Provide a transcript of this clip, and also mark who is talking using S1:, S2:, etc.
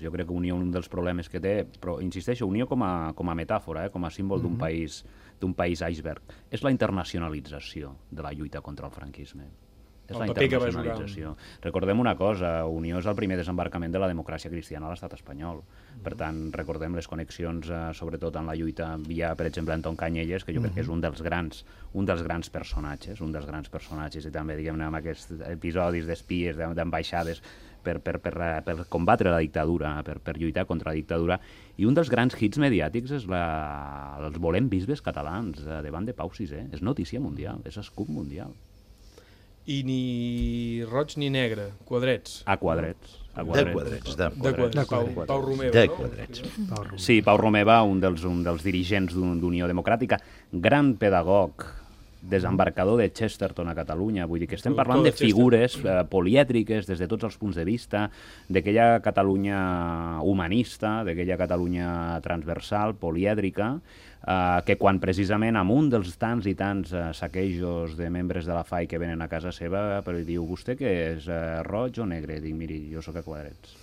S1: Jo crec que Unió, un dels problemes que té, però insisteixo, Unió com a metàfora, com a símbol d'un país iceberg, és la internacionalització de la lluita contra el franquisme. És la internacionalització. Recordem una cosa, Unió és el primer desembarcament de la democràcia cristiana a l'estat espanyol. Per tant, recordem les connexions, sobretot en la lluita via, per exemple, Anton Canyelles, que jo crec que és un dels grans personatges, i també, diguem-ne, amb aquests episodis d'espies, d'ambaixades, per combatre la dictadura, per lluitar contra la dictadura. I un dels grans hits mediàtics és els volem bisbes catalans davant de Pau VI. És notícia mundial, és escup mundial.
S2: I ni roig ni negre, quadrets.
S1: A quadrets.
S3: De quadrets.
S2: Pau Romeva,
S3: de quadrets.
S1: Sí, Pau Romeva, un dels dirigents d'Unió Democràtica, gran pedagog, desembarcador de Chesterton a Catalunya. Vull dir que estem parlant de figures polièdriques des de tots els punts de vista, d'aquella Catalunya humanista, d'aquella Catalunya transversal, polièdrica, que quan precisament amb un dels tants i tants saquejos de membres de la FAI que venen a casa seva, però diu, vostè què és, roig o negre? Dic, miri, jo sóc a quadrets.